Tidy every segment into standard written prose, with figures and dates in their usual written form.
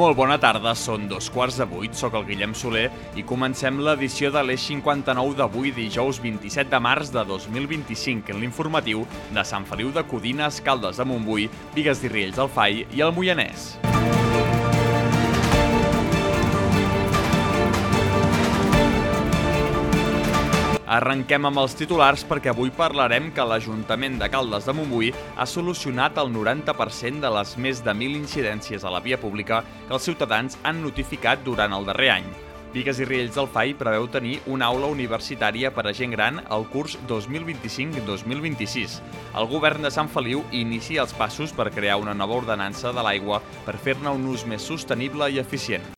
Molt bona tarda, són 7:15, soc el Guillem Soler i comencem l'edició de l'Eix 59 d'avui, dijous 27 de març de 2025, en l'informatiu de Sant Feliu de Codines, Caldes de Montbui, Bigues i Riells del Fai i el Moianès. Arrenquem amb els titulars perquè avui parlarem que l'Ajuntament de Caldes de Montbui ha solucionat el 90% de les més de 1.000 incidències a la via pública que els ciutadans han notificat durant el darrer any. Bigues i Riells del Fai preveu tenir una aula universitària per a gent gran al curs 2025-2026. El govern de Sant Feliu inicia els passos per crear una nova ordenança de l'aigua per fer-ne un ús més sostenible i eficient.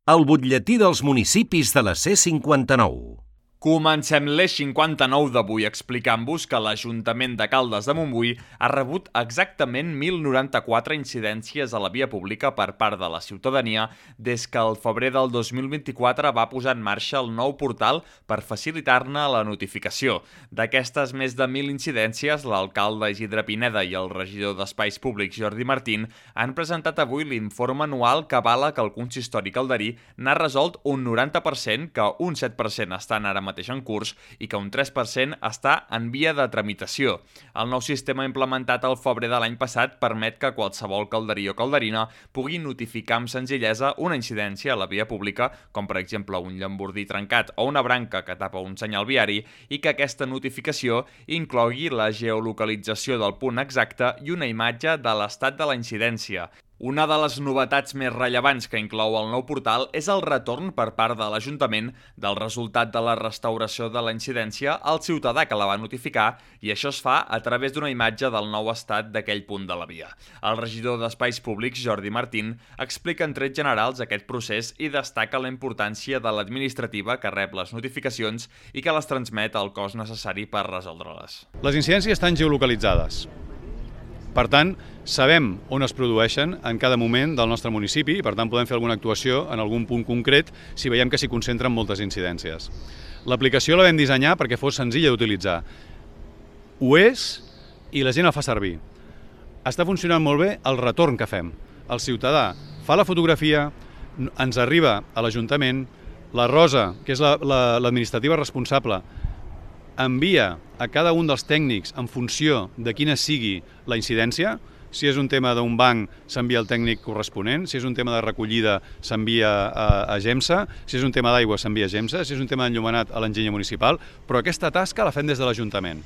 El butlletí dels municipis de la C59. Comencem l'Eix 59 d'avui explicant-vos que l'Ajuntament de Caldes de Montbui ha rebut exactament 1.094 incidències a la via pública per part de la ciutadania des que el febrer del 2024 va posar en marxa el nou portal per facilitar-ne la notificació. D'aquestes més de 1.000 incidències, l'alcalde Isidre Pineda i el regidor d'Espais Públics Jordi Martín han presentat avui l'informe anual que avala que el consistori calderí n'ha resolt un 90%, que un 7% estan ara mateix en curs i que un 3% està en via de tramitació. El nou sistema implementat al febrer de l'any passat permet que qualsevol calderí o calderina pugui notificar amb senzillesa una incidència a la via pública, com per exemple un llambordí trencat o una branca que tapa un senyal viari, i que aquesta notificació inclogui la geolocalització del punt exacte i una imatge de l'estat de la incidència. Una de les novetats més rellevants que inclou el nou portal és el retorn per part de l'Ajuntament del resultat de la restauració de la incidència al ciutadà que la va notificar, i això es fa a través d'una imatge del nou estat d'aquell punt de la via. El regidor d'Espais Públics, Jordi Martín, explica en trets generals aquest procés i destaca la importància de l'administrativa que rep les notificacions i que les transmet al cos necessari per resoldre-les. Les incidències estan geolocalitzades. Per tant, sabem on es produeixen en cada moment del nostre municipi i, per tant, podem fer alguna actuació en algun punt concret si veiem que s'hi concentren moltes incidències. L'aplicació la vam dissenyar perquè fos senzilla d'utilitzar. Ho és i la gent la fa servir. Està funcionant molt bé el retorn que fem. El ciutadà fa la fotografia, ens arriba a l'Ajuntament, la Rosa, que és l'administrativa responsable, envia a cada un dels tècnics en funció de quina sigui la incidència. Si és un tema d'un banc, s'envia al tècnic corresponent. Si és un tema de recollida, s'envia a GEMSA. Si és un tema d'aigua, s'envia a GEMSA. Si és un tema d'enllumenat, a l'enginyer municipal. Però aquesta tasca la fem des de l'Ajuntament.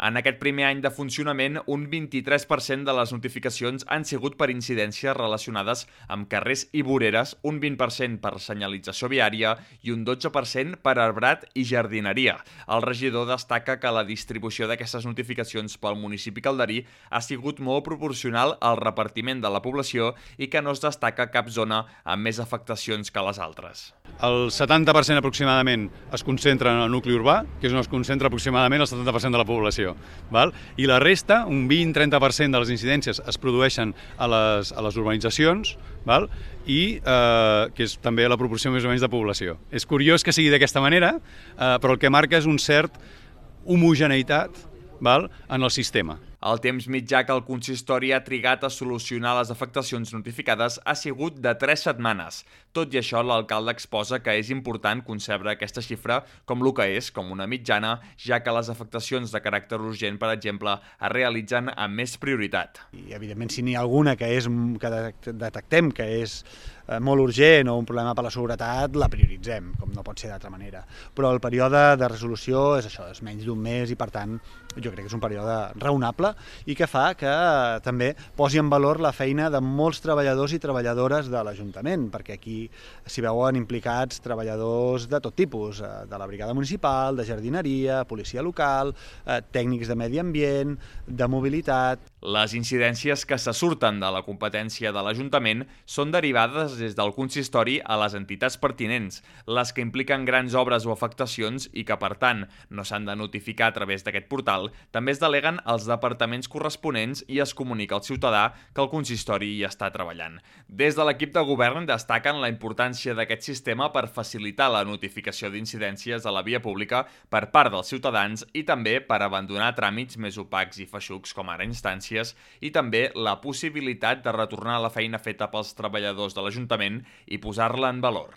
En aquest primer any de funcionament, un 23% de les notificacions han sigut per incidències relacionades amb carrers i voreres, un 20% per senyalització viària i un 12% per arbrat i jardineria. El regidor destaca que la distribució d'aquestes notificacions pel municipi calderí ha sigut molt proporcional al repartiment de la població i que no es destaca cap zona amb més afectacions que les altres. El 70% aproximadament es concentra en el nucli urbà, que és on es concentra aproximadament el 70% de la població. I la resta, un 20-30% de les incidències es produeixen a les urbanitzacions, i que és també la proporció més o menys de població. És curiós que sigui d'aquesta manera, però el que marca és un cert homogeneïtat en el sistema. El temps mitjà que el consistori ha trigat a solucionar les afectacions notificades ha sigut de 3 setmanes. Tot i això, l'alcalde exposa que és important concebre aquesta xifra com el que és, com una mitjana, ja que les afectacions de caràcter urgent, per exemple, es realitzen amb més prioritat. I, evidentment, si n'hi ha alguna que detectem que és molt urgent o un problema per la seguretat, la prioritzem, com no pot ser d'altra manera. Però el període de resolució és això, és menys d'un mes i, per tant, jo crec que és un període raonable i que fa que també posi en valor la feina de molts treballadors i treballadores de l'Ajuntament, perquè aquí s'hi veuen implicats treballadors de tot tipus, de la brigada municipal, de jardineria, policia local, tècnics de medi ambient, de mobilitat. Les incidències que se surten de la competència de l'Ajuntament són derivades des del consistori a les entitats pertinents, les que impliquen grans obres o afectacions i que, per tant, no s'han de notificar a través d'aquest portal, també es deleguen als departaments departaments corresponents i es comunica al ciutadà que el consistori hi està treballant. Des de l'equip de govern destaquen la importància d'aquest sistema per facilitar la notificació d'incidències a la via pública per part dels ciutadans i també per abandonar tràmits més opacs i feixucs com ara instàncies i també la possibilitat de retornar la feina feta pels treballadors de l'Ajuntament i posar-la en valor.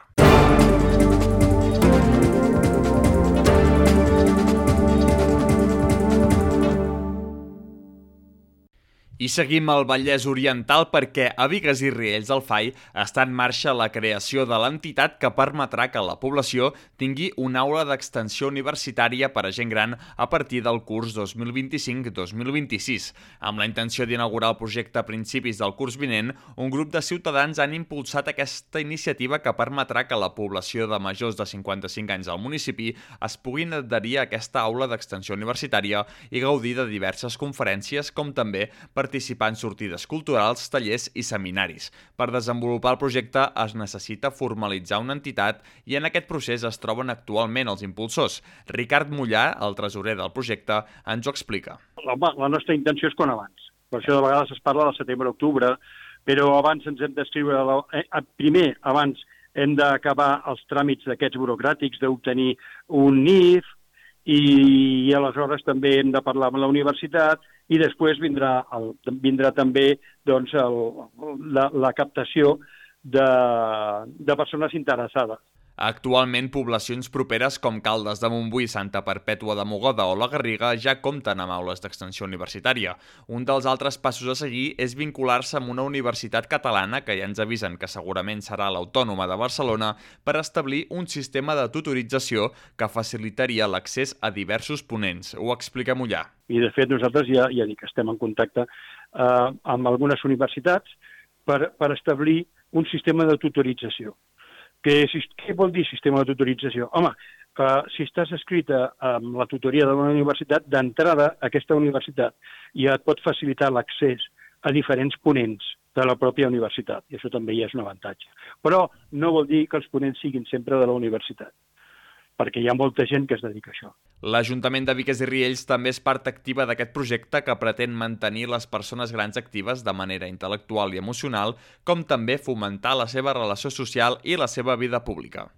I seguim al Vallès Oriental perquè a Bigues i Riells del FAI està en marxa la creació de l'entitat que permetrà que la població tingui una aula d'extensió universitària per a gent gran a partir del curs 2025-2026. Amb la intenció d'inaugurar el projecte a principis del curs vinent, un grup de ciutadans han impulsat aquesta iniciativa que permetrà que la població de majors de 55 anys al municipi es puguin adherir a aquesta aula d'extensió universitària i gaudir de diverses conferències com també participar en sortides culturals, tallers i seminaris. Per desenvolupar el projecte es necessita formalitzar una entitat i en aquest procés es troben actualment els impulsors. Ricard Mollà, el tresorer del projecte, ens ho explica. La nostra intenció és quan abans. Per això de vegades es parla de setembre-octubre, però abans ens hem d'escriure... Primer, abans hem d'acabar els tràmits d'aquests burocràtics, d'obtenir un NIF, i aleshores també hem de parlar amb la universitat i després vindrà també doncs, la captació de persones interessades. Actualment, poblacions properes com Caldes de Montbui, Santa Perpètua de Mogoda o la Garriga ja compten amb aules d'extensió universitària. Un dels altres passos a seguir és vincular-se amb una universitat catalana, que ja ens avisen que segurament serà l'Autònoma de Barcelona, per establir un sistema de tutorització que facilitaria l'accés a diversos ponents. Ho explica Mollà. I de fet nosaltres ja dic que estem en contacte amb algunes universitats per establir un sistema de tutorització. Què vol dir sistema de tutorització? Home, si estàs escrita amb la tutoria d'una universitat, d'entrada aquesta universitat ja et pot facilitar l'accés a diferents ponents de la pròpia universitat, i això també ja és un avantatge. Però no vol dir que els ponents siguin sempre de la universitat, perquè hi ha molta gent que es dedica a això. L'Ajuntament de Bigues i Riells també és part activa d'aquest projecte que pretén mantenir les persones grans actives de manera intel·lectual i emocional, com també fomentar la seva relació social i la seva vida pública.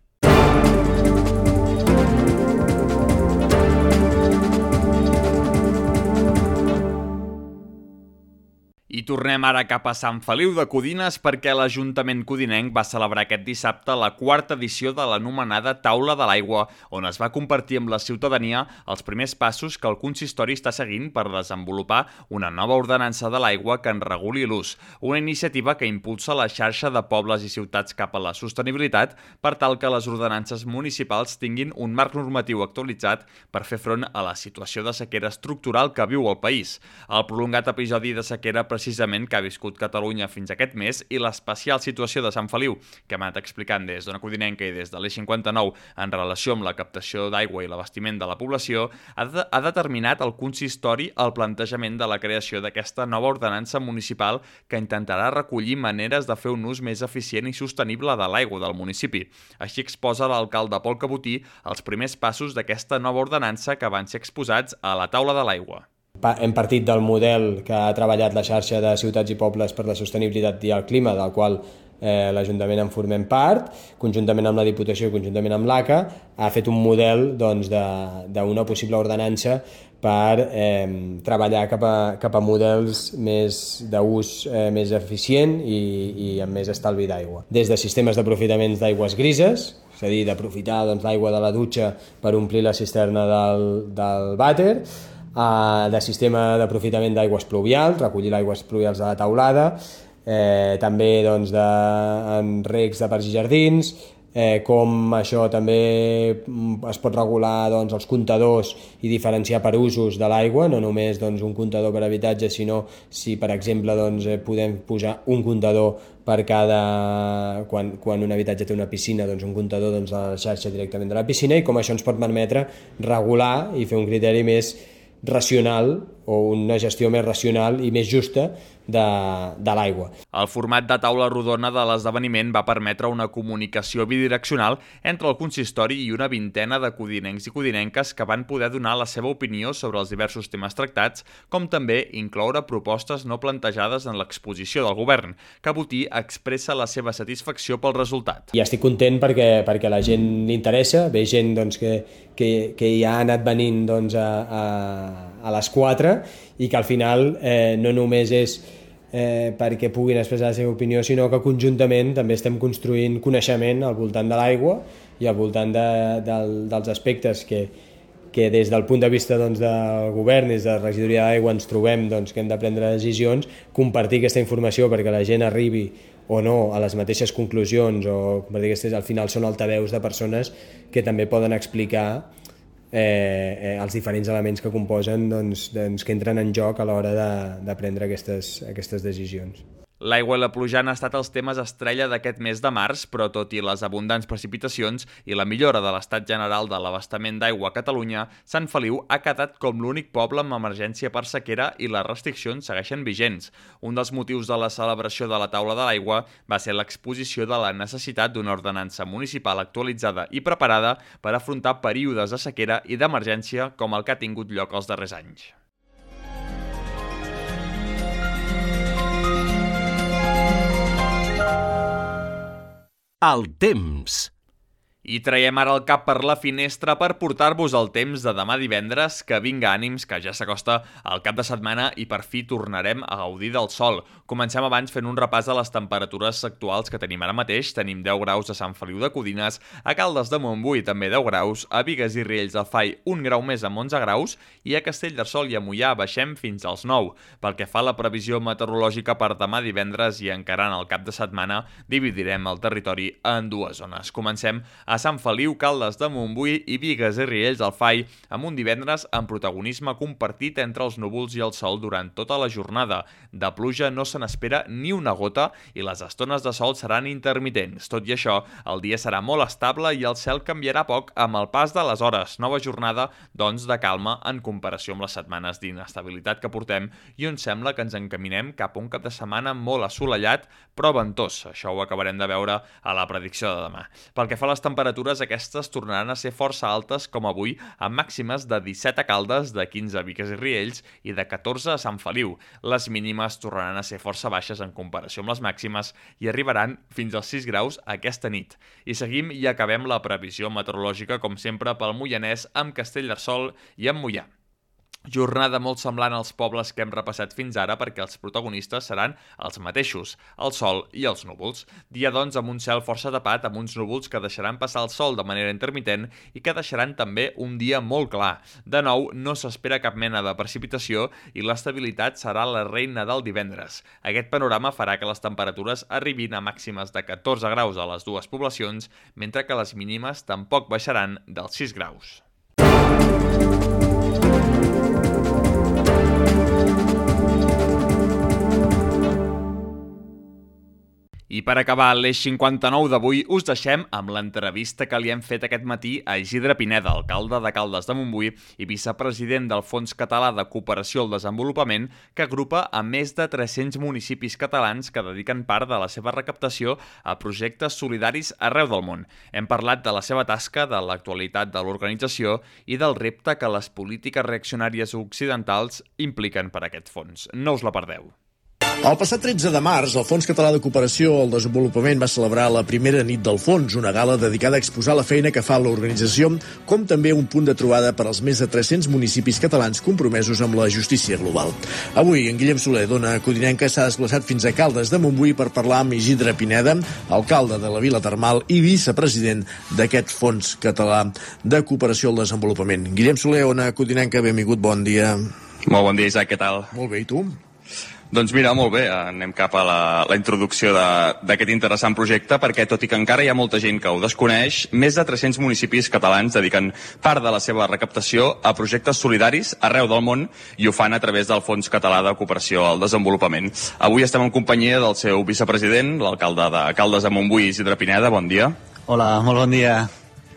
I tornem ara cap a Sant Feliu de Codines perquè l'Ajuntament codinenc va celebrar aquest dissabte la quarta edició de l'anomenada Taula de l'Aigua, on es va compartir amb la ciutadania els primers passos que el consistori està seguint per desenvolupar una nova ordenança de l'aigua que en reguli l'ús, una iniciativa que impulsa la xarxa de pobles i ciutats cap a la sostenibilitat per tal que les ordenances municipals tinguin un marc normatiu actualitzat per fer front a la situació de sequera estructural que viu el país. El prolongat episodi de sequera precisament que ha viscut Catalunya fins aquest mes i l'especial situació de Sant Feliu, que hem anat explicant des d'Ona Codinenca i des de l'E59 en relació amb la captació d'aigua i l'abastiment de la població, ha determinat el consistori el plantejament de la creació d'aquesta nova ordenança municipal que intentarà recollir maneres de fer un ús més eficient i sostenible de l'aigua del municipi. Així exposa l'alcalde Pol Cabotí els primers passos d'aquesta nova ordenança que van ser exposats a la Taula de l'Aigua. Hem partit del model que ha treballat la xarxa de ciutats i pobles per la sostenibilitat i el clima, del qual l'Ajuntament en formem part, conjuntament amb la Diputació i conjuntament amb l'ACA, ha fet un model d'una possible ordenança per treballar cap a models d'ús més eficient i amb més estalvi d'aigua. Des de sistemes d'aprofitaments d'aigües grises, és a dir, d'aprofitar l'aigua de la dutxa per omplir la cisterna del vàter, de sistema d'aprofitament d'aigües pluvials, recollir l'aigües pluvials de la teulada, també en recs de parcs i jardins, com això també es pot regular els comptadors i diferenciar per usos de l'aigua, no només un comptador per habitatge, sinó si per exemple podem posar un comptador per cada... Quan un habitatge té una piscina, un comptador a la xarxa directament de la piscina, i com això ens pot permetre regular i fer un criteri més racional una gestió més racional i més justa de l'aigua. El format de taula rodona de l'esdeveniment va permetre una comunicació bidireccional entre el consistori i una vintena de codinencs i codinenques que van poder donar la seva opinió sobre els diversos temes tractats, com també incloure propostes no plantejades en l'exposició del govern, que Botí expressa la seva satisfacció pel resultat. I estic content perquè la gent li interessa, ve gent doncs, que ja ha anat venint doncs, a les 4 i que al final no només és perquè puguin expressar la seva opinió, sinó que conjuntament també estem construint coneixement al voltant de l'aigua i al voltant dels aspectes que des del punt de vista doncs, del govern, des de la regidoria d'aigua ens trobem doncs, que hem de prendre decisions, compartir aquesta informació perquè la gent arribi o no a les mateixes conclusions o compartir que al final són altaveus de persones que també poden explicar els diferents elements que composen que entren en joc a l'hora de prendre aquestes decisions. L'aigua i la pluja han estat els temes estrella d'aquest mes de març, però tot i les abundants precipitacions i la millora de l'estat general de l'abastament d'aigua a Catalunya, Sant Feliu ha quedat com l'únic poble amb emergència per sequera i les restriccions segueixen vigents. Un dels motius de la celebració de la taula de l'aigua va ser l'exposició de la necessitat d'una ordenança municipal actualitzada i preparada per afrontar períodes de sequera i d'emergència com el que ha tingut lloc els darrers anys. El temps. I traiem ara el cap per la finestra per portar-vos el temps de demà divendres, que vinga ànims, que ja s'acosta el cap de setmana i per fi tornarem a gaudir del sol. Comencem abans fent un repàs de les temperatures actuals que tenim ara mateix. Tenim 10 graus a Sant Feliu de Codines, a Caldes de Montbui també 10 graus, a Bigues i Riells del Fai 1 grau més amb 11 graus i a Castellterçol i a Moià baixem fins als 9. Pel que fa a la previsió meteorològica per demà divendres i encarant el cap de setmana, dividirem el territori en dues zones. Comencem a Sant Feliu, Caldes de Montbui i Bigues i Riells del Fai, amb un divendres amb protagonisme compartit entre els núvols i el sol durant tota la jornada. De pluja no se n'espera ni una gota i les estones de sol seran intermitents. Tot i això, el dia serà molt estable i el cel canviarà poc amb el pas de les hores. Nova jornada, doncs, de calma en comparació amb les setmanes d'inestabilitat que portem i on sembla que ens encaminem cap a un cap de setmana molt assolellat, però ventós. Això ho acabarem de veure a la predicció de demà. Pel que fa a les temperatures, aquestes tornaran a ser força altes com avui, amb màximes de 17 a Caldes, de 15 a Bigues i Riells i de 14 a Sant Feliu. Les mínimes tornaran a ser força baixes en comparació amb les màximes i arribaran fins als 6 graus aquesta nit. I seguim i acabem la previsió meteorològica, com sempre, pel Moianès, amb Castellterçol i amb Moià. Jornada molt semblant als pobles que hem repassat fins ara perquè els protagonistes seran els mateixos, el sol i els núvols. Dia, doncs, amb un cel força tapat, amb uns núvols que deixaran passar el sol de manera intermitent i que deixaran també un dia molt clar. De nou, no s'espera cap mena de precipitació i l'estabilitat serà la reina del divendres. Aquest panorama farà que les temperatures arribin a màximes de 14 graus a les dues poblacions, mentre que les mínimes tampoc baixaran dels 6 graus. I per acabar l'Eix 59 d'avui us deixem amb l'entrevista que li hem fet aquest matí a Isidre Pineda, alcalde de Caldes de Montbui i vicepresident del Fons Català de Cooperació al Desenvolupament, que agrupa a més de 300 municipis catalans que dediquen part de la seva recaptació a projectes solidaris arreu del món. Hem parlat de la seva tasca, de l'actualitat de l'organització i del repte que les polítiques reaccionàries occidentals impliquen per aquest fons. No us la perdeu. El passat 13 de març, el Fons Català de Cooperació al Desenvolupament va celebrar la primera nit del fons, una gala dedicada a exposar la feina que fa l'organització, com també un punt de trobada per als més de 300 municipis catalans compromesos amb la justícia global. Avui, en Guillem Soler, dona codinenca, s'ha desplaçat fins a Caldes de Montbui per parlar amb Isidre Pineda, alcalde de la Vila Termal i vicepresident d'aquest Fons Català de Cooperació al Desenvolupament. Guillem Soler, Ona Codinenca, benvingut, bon dia. Molt bon dia, Isaac, què tal? Molt bé, i tu? Doncs mira, molt bé, anem cap a la introducció d'aquest interessant projecte, perquè tot i que encara hi ha molta gent que ho desconeix, més de 300 municipis catalans dediquen part de la seva recaptació a projectes solidaris arreu del món i ho fan a través del Fons Català de Cooperació al Desenvolupament. Avui estem en companyia del seu vicepresident, l'alcalde de Caldes de Montbui, Isidre Pineda. Bon dia. Hola, molt bon dia.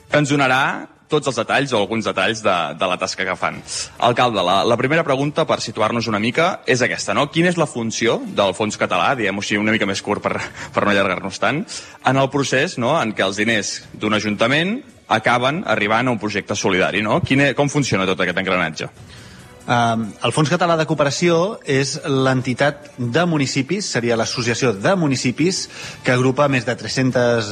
Que ens donarà tots els detalls o alguns detalls de la tasca que fan. Alcalde, la primera pregunta, per situar-nos una mica, és aquesta, no? Quina és la funció del Fons Català, diguem-ho així una mica més curt per no allargar-nos tant, en el procés, no?, en què els diners d'un ajuntament acaben arribant a un projecte solidari, no? Com funciona tot aquest engranatge? El Fons Català de Cooperació és l'entitat de municipis, seria l'associació de municipis que agrupa més de 300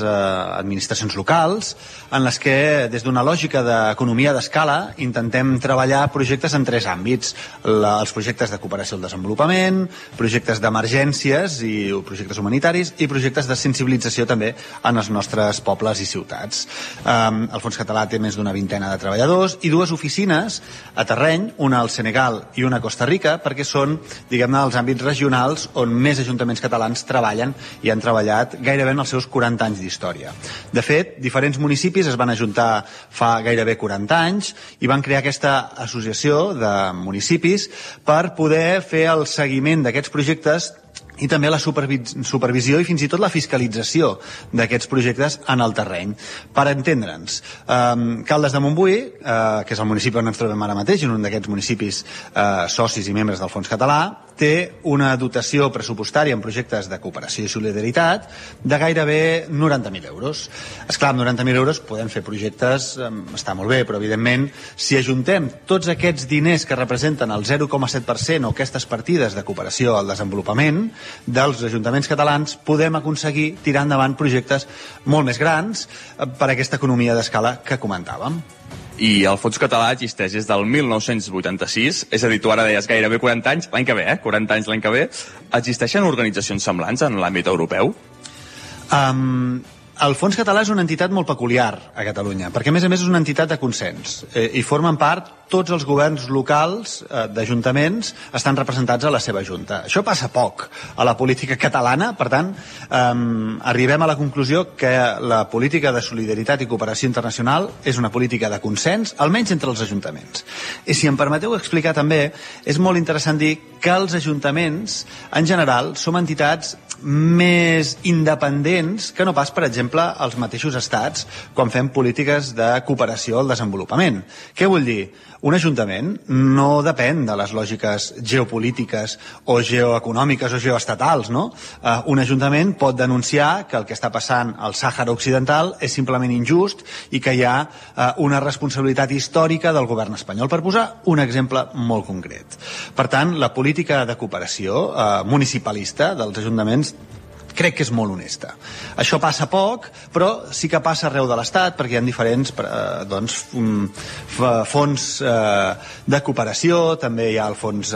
administracions locals, en les que, des d'una lògica d'economia d'escala, intentem treballar projectes en 3 àmbits. Els projectes de cooperació al desenvolupament, projectes d'emergències i projectes humanitaris i projectes de sensibilització també en els nostres pobles i ciutats. El Fons Català té més d'una vintena de treballadors i 2 oficines a terreny, una al Senegal i una a Costa Rica, perquè són, diguem-ne, els àmbits regionals on més ajuntaments catalans treballen i han treballat gairebé en els seus 40 anys d'història. De fet, diferents municipis es van ajuntar fa gairebé 40 anys i van crear aquesta associació de municipis per poder fer el seguiment d'aquests projectes i també la supervisió i fins i tot la fiscalització d'aquests projectes en el terreny. Per entendre'ns, Caldes de Montbui, que és el municipi on ens trobem ara mateix, un d'aquests municipis socis i membres del Fons Català, té una dotació pressupostària en projectes de cooperació i solidaritat de gairebé 90.000 euros. Esclar, amb 90.000 euros podem fer projectes, està molt bé, però evidentment si ajuntem tots aquests diners que representen el 0,7% o aquestes partides de cooperació al desenvolupament dels ajuntaments catalans, podem aconseguir tirar endavant projectes molt més grans per aquesta economia d'escala que comentàvem. I el Fons Català existeix des del 1986, és a dir, tu ara deies gairebé 40 anys, l'any que ve, 40 anys l'any que ve. Existeixen organitzacions semblants en l'àmbit europeu? El Fons Català és una entitat molt peculiar a Catalunya, perquè a més és una entitat de consens i formen part tots els governs locals d'ajuntaments estan representats a la seva junta. Això passa poc a la política catalana, per tant, arribem a la conclusió que la política de solidaritat i cooperació internacional és una política de consens, almenys entre els ajuntaments. I si em permeteu explicar també, és molt interessant dir que els ajuntaments, en general, som entitats més independents que no pas, per exemple, els mateixos estats quan fem polítiques de cooperació al desenvolupament. Què vull dir? Un ajuntament no depèn de les lògiques geopolítiques o geoeconòmiques o geoestatals, no? Un ajuntament pot denunciar que el que està passant al Sàhara Occidental és simplement injust i que hi ha una responsabilitat històrica del govern espanyol, per posar un exemple molt concret. Per tant, la política de cooperació municipalista dels ajuntaments crec que és molt honesta. Això passa poc, però sí que passa arreu de l'Estat, perquè hi ha diferents fons de cooperació, també hi ha el fons,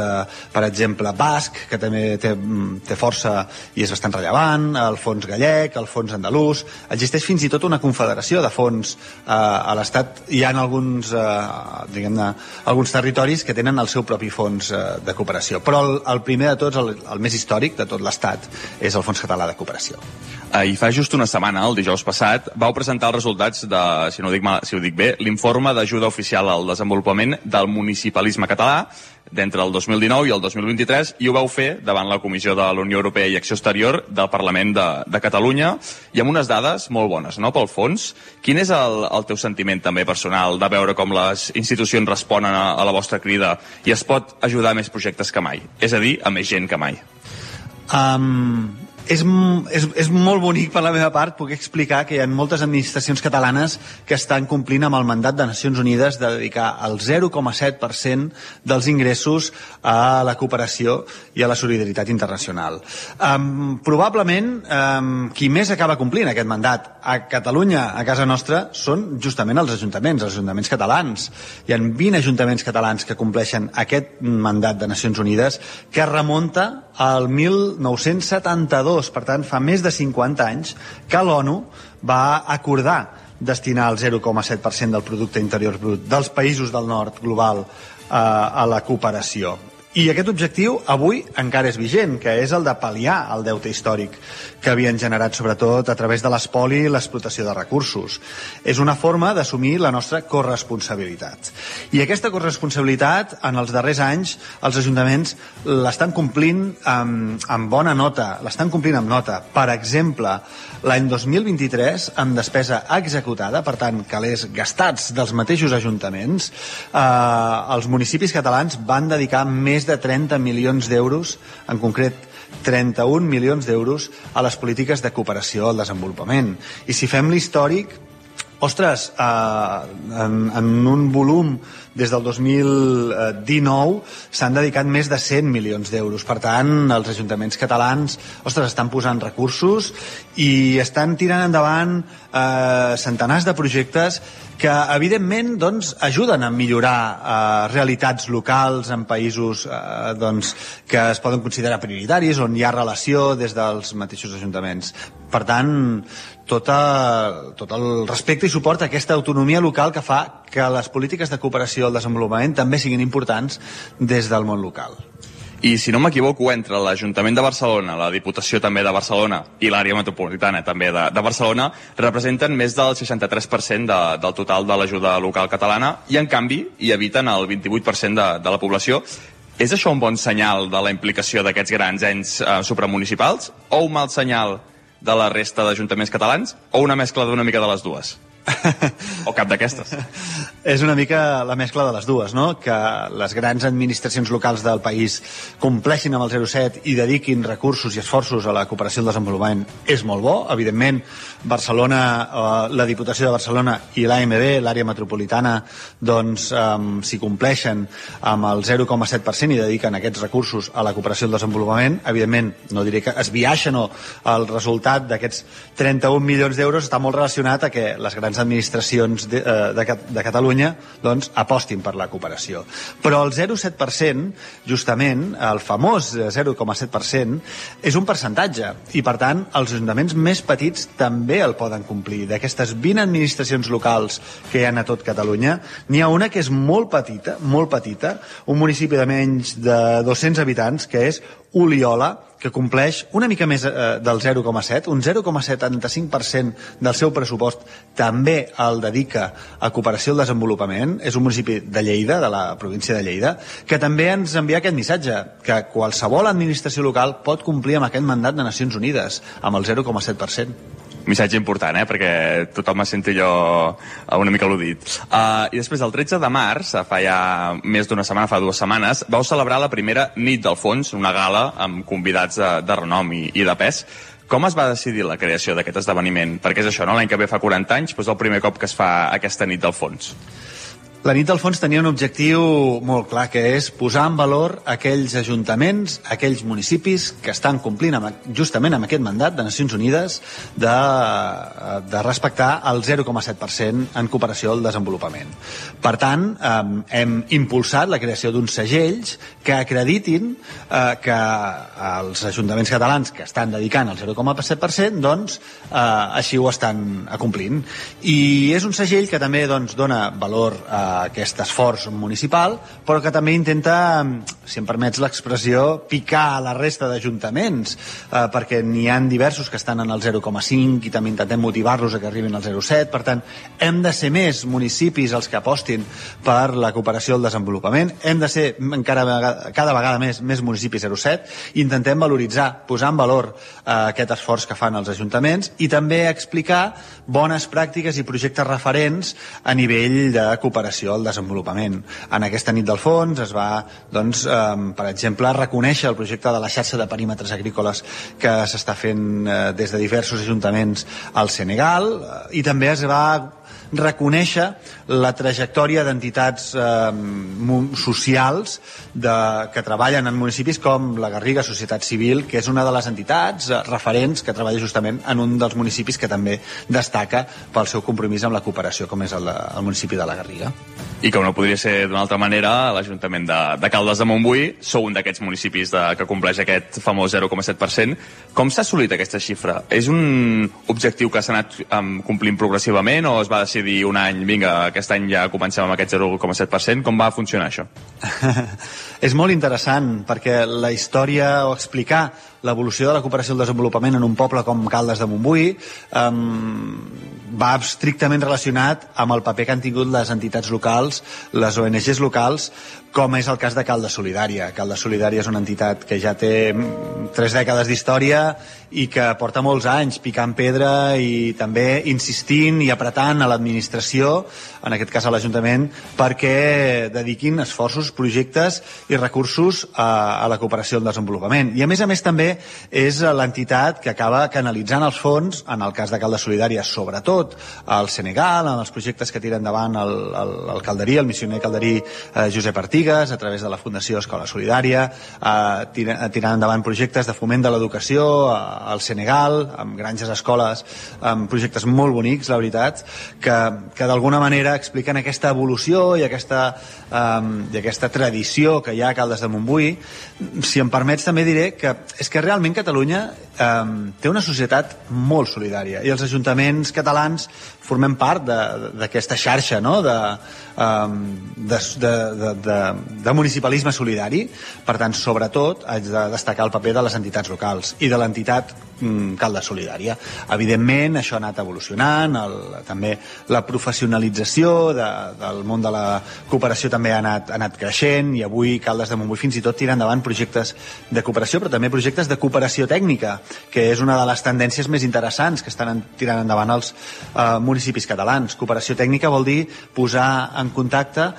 per exemple, basc, que també té força i és bastant rellevant, el fons gallec, el fons andalús. Existeix fins i tot una confederació de fons a l'Estat. Hi ha alguns, diguem-ne, alguns territoris que tenen el seu propi fons de cooperació. Però el primer de tots, el més històric de tot l'Estat, és el Fons Català de Cooperació. I fa just una setmana, el dijous passat, vau presentar els resultats de, si ho dic bé, l'informe d'ajuda oficial al desenvolupament del municipalisme català d'entre el 2019 i el 2023, i ho vau fer davant la Comissió de la Unió Europea i Acció Exterior del Parlament de Catalunya, i amb unes dades molt bones, no?, pel fons. Quin és el teu sentiment també personal de veure com les institucions responen a la vostra crida i es pot ajudar a més projectes que mai? És a dir, a més gent que mai. És molt bonic per la meva part poder explicar que hi ha moltes administracions catalanes que estan complint amb el mandat de Nacions Unides de dedicar el 0,7% dels ingressos a la cooperació i a la solidaritat internacional. Probablement qui més acaba complint aquest mandat a Catalunya, a casa nostra, són justament els ajuntaments catalans. Hi ha 20 ajuntaments catalans que compleixen aquest mandat de Nacions Unides que remunta al 1972. Per tant, fa més de 50 anys que l'ONU va acordar destinar el 0,7% del producte interior brut dels països del nord global a la cooperació. I aquest objectiu avui encara és vigent, que és el de pal·liar el deute històric que havien generat sobretot a través de l'espoli i l'explotació de recursos. És una forma d'assumir la nostra corresponsabilitat. I aquesta corresponsabilitat, en els darrers anys, els ajuntaments l'estan complint amb bona nota, l'estan complint amb nota. Per exemple, l'any 2023, amb despesa executada, per tant, calés gastats dels mateixos ajuntaments, els municipis catalans van dedicar més de 30 milions d'euros, en concret 31 milions d'euros, a les polítiques de cooperació al desenvolupament. I si fem l'històric, ostres, en un volum des del 2019 s'han dedicat més de 100 milions d'euros. Per tant, els ajuntaments catalans, ostres, estan posant recursos i estan tirant endavant centenars de projectes que, evidentment, doncs, ajuden a millorar realitats locals en països que es poden considerar prioritaris, on hi ha relació des dels mateixos ajuntaments. Per tant, tot el respecte i suport a aquesta autonomia local que fa que les polítiques de cooperació al desenvolupament també siguin importants des del món local. I si no m'equivoco, entre l'Ajuntament de Barcelona, la Diputació també de Barcelona i l'àrea metropolitana també de Barcelona, representen més del 63% del total de l'ajuda local catalana i, en canvi, hi habiten el 28% de la població. És això un bon senyal de la implicació d'aquests grans ens supramunicipals o un mal senyal de la resta d'ajuntaments catalans o una mescla d'una mica de les dues? O cap d'aquestes? És una mica la mescla de les dues, no? Que les grans administracions locals del país compleixin amb el 07 i dediquin recursos i esforços a la cooperació al desenvolupament és molt bo. Evidentment, Barcelona, la Diputació de Barcelona i l'AMB, l'àrea metropolitana, doncs, si compleixen amb el 0,7% i dediquen aquests recursos a la cooperació al desenvolupament, evidentment, no diré que es biaixen o el resultat d'aquests 31 milions d'euros està molt relacionat a que les grans administracions de Catalunya doncs, apostin per la cooperació. Però el 0,7%, justament, el famós 0,7%, és un percentatge i, per tant, els ajuntaments més petits també el poden complir. D'aquestes 20 administracions locals que hi ha a tot Catalunya, n'hi ha una que és molt petita, un municipi de menys de 200 habitants, que és Oliola, que compleix una mica més del 0,7, un 0,75% del seu pressupost també el dedica a cooperació al desenvolupament. És un municipi de Lleida, de la província de Lleida, que també ens envia aquest missatge, que qualsevol administració local pot complir amb aquest mandat de Nacions Unides, amb el 0,7%. Missatge important, perquè tothom es senti allò una mica al·ludit. I després, el 13 de març, fa ja més d'una setmana, fa 2 setmanes, vau celebrar la primera nit del fons, una gala amb convidats de renom i de pes. Com es va decidir la creació d'aquest esdeveniment? Perquè és això, no? L'any que ve fa 40 anys, doncs el primer cop que es fa aquesta nit del fons. La nit del fons tenia un objectiu molt clar, que és posar en valor aquells ajuntaments, aquells municipis que estan complint justament amb aquest mandat de Nacions Unides de respectar el 0,7% en cooperació al desenvolupament. Per tant, hem impulsat la creació d'uns segells que acreditin que els ajuntaments catalans que estan dedicant el 0,7% doncs així ho estan acomplint. I és un segell que també doncs, dona valor a aquest esforç municipal, però que també intenta, si em permets l'expressió, picar a la resta d'ajuntaments, perquè n'hi ha diversos que estan en el 0,5 i també intentem motivar-los a que arribin al 0,7. Per tant, hem de ser més municipis els que apostin per la cooperació al desenvolupament, hem de ser cada vegada més municipis 0,7, i intentem valoritzar, posar en valor aquest esforç que fan els ajuntaments i també explicar bones pràctiques i projectes referents a nivell de cooperació al desenvolupament. En aquesta nit del fons es va, doncs, per exemple, reconèixer el projecte de la xarxa de perímetres agrícoles que s'està fent des de diversos ajuntaments al Senegal, i també es va reconèixer la trajectòria d'entitats socials que treballen en municipis com la Garriga Societat Civil, que és una de les entitats referents que treballa justament en un dels municipis que també destaca pel seu compromís amb la cooperació, com és el municipi de la Garriga. I com no podria ser d'una altra manera, l'Ajuntament de Caldes de Montbui sou un d'aquests municipis que compleix aquest famós 0,7%. Com s'ha assolit aquesta xifra? És un objectiu que s'ha anat complint progressivament o es va decidir decidir un any, vinga, aquest any ja comencem amb aquest 0,7%, com va funcionar això? És molt interessant, perquè la història o explicar l'evolució de la cooperació al desenvolupament en un poble com Caldes de Montbui va estrictament relacionat amb el paper que han tingut les entitats locals, les ONGs locals, com és el cas de Caldes Solidària. Caldes Solidària és una entitat que ja té 3 dècades d'història i que porta molts anys picant pedra i també insistint i apretant a l'administració, en aquest cas a l'Ajuntament, perquè dediquin esforços, projectes i recursos a la cooperació al desenvolupament. I a més també és l'entitat que acaba canalitzant els fons, en el cas de Caldes Solidària, sobretot al Senegal, en els projectes que tira endavant el calderí, el missioner calderí Josep Artigas, a través de la Fundació Escola Solidària, tirant endavant projectes de foment de l'educació al Senegal, amb granges escoles, amb projectes molt bonics, la veritat, que d'alguna manera expliquen aquesta evolució i aquesta tradició que hi ha a Caldes de Montbui. Si em permets també diré que és que realment Catalunya té una societat molt solidària i els ajuntaments catalans formem part d'aquesta xarxa, no? de municipalisme solidari. Per tant, sobretot haig de destacar el paper de les entitats locals i de l'entitat Caldes Solidària. Evidentment, això ha anat evolucionant, també la professionalització del món de la cooperació també ha anat creixent, i avui Caldes de Montbui fins i tot tira endavant projectes de cooperació, però també projectes de cooperació tècnica, que és una de les tendències més interessants que estan tirant endavant els municipis catalans. Cooperació tècnica vol dir posar en contacte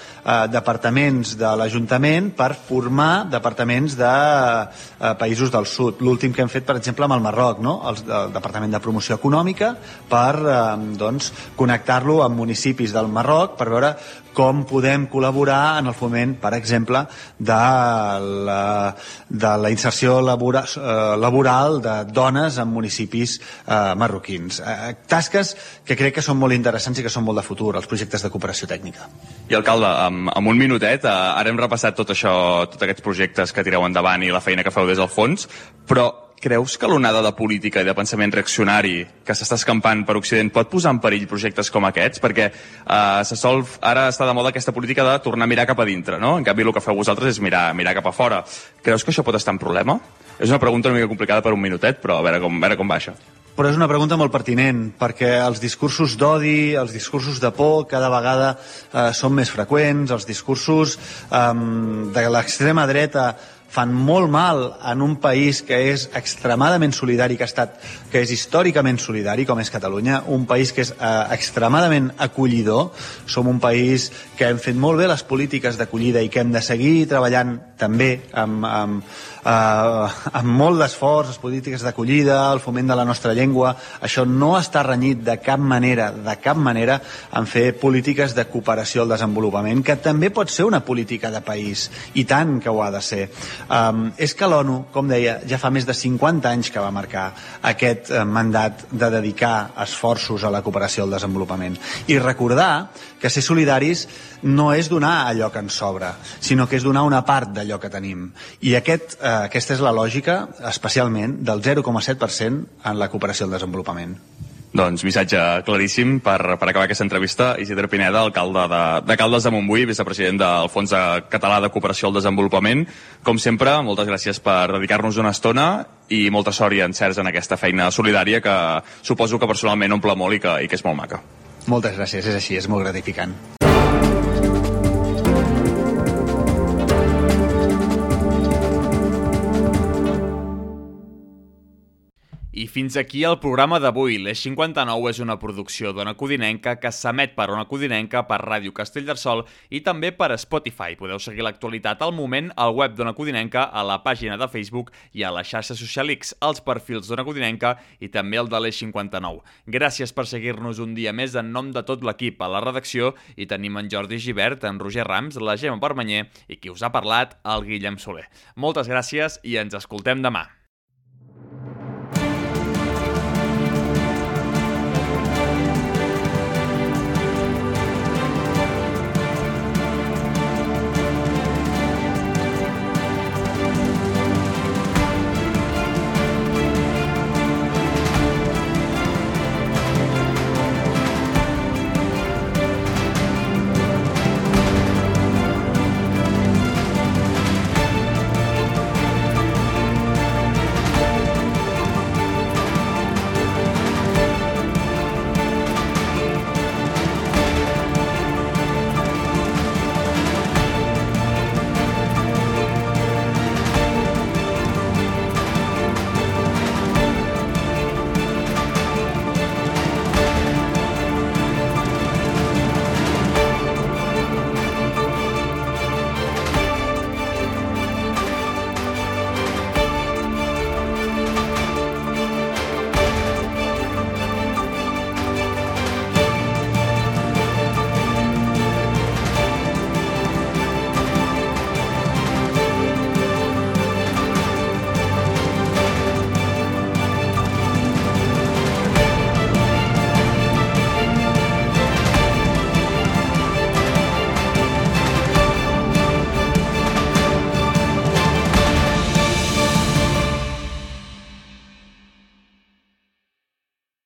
departaments de l'Ajuntament per formar departaments de països del sud. L'últim que hem fet, per exemple, amb el Marroc, no? El Departament de Promoció Econòmica, per connectar-lo amb municipis del Marroc per veure com podem col·laborar en el foment, per exemple, de la inserció laboral de dones en municipis marroquins. Tasques que crec que són molt interessants i que són molt de futur, els projectes de cooperació tècnica. I alcalde, amb un minutet, ara hem repassat tot això, tots aquests projectes que tireu endavant i la feina que feu des del fons, però creus que l'onada de política i de pensament reaccionari que s'està escampant per Occident pot posar en perill projectes com aquests? Perquè ara està de moda aquesta política de tornar a mirar cap a dintre, no? En canvi, el que feu vosaltres és mirar cap a fora. Creus que això pot estar en problema? És una pregunta una mica complicada per un minutet, però a veure com va això. Però és una pregunta molt pertinent, perquè els discursos d'odi, els discursos de por, cada vegada són més freqüents, els discursos de l'extrema dreta fan molt mal en un país que és extremadament solidari, que és històricament solidari, com és Catalunya, un país que és extremadament acollidor. Som un país que hem fet molt bé les polítiques d'acollida i que hem de seguir treballant també amb molt d'esforç, les polítiques d'acollida, el foment de la nostra llengua. Això no està renyit de cap manera, en fer polítiques de cooperació al desenvolupament, que també pot ser una política de país, i tant que ho ha de ser. És que l'ONU, com deia, ja fa més de 50 anys que va marcar aquest mandat de dedicar esforços a la cooperació al desenvolupament. I recordar que ser solidaris no és donar allò que ens sobra, sinó que és donar una part d'allò que tenim. I aquesta és la lògica, especialment, del 0,7% en la cooperació al desenvolupament. Doncs missatge claríssim per acabar aquesta entrevista. Isidre Pineda, alcalde de Caldes de Montbui, vicepresident del Fons Català de Cooperació al Desenvolupament. Com sempre, moltes gràcies per dedicar-nos una estona i molta sort i encerts en aquesta feina solidària que suposo que personalment omple molt i que és molt maca. Moltes gràcies, és així, és molt gratificant. I fins aquí el programa d'avui. L'Eix 59 és una producció d'Ona Codinenca que s'emet per Ona Codinenca, per Ràdio Castellterçol i també per Spotify. Podeu seguir l'actualitat al moment al web d'Ona Codinenca, a la pàgina de Facebook i a la xarxa social X, als perfils d'Ona Codinenca i també el de l'Eix 59. Gràcies per seguir-nos un dia més en nom de tot l'equip. A la redacció hi tenim en Jordi Gibert, en Roger Rams, la Gemma Permanyer i qui us ha parlat, el Guillem Soler. Moltes gràcies i ens escoltem demà.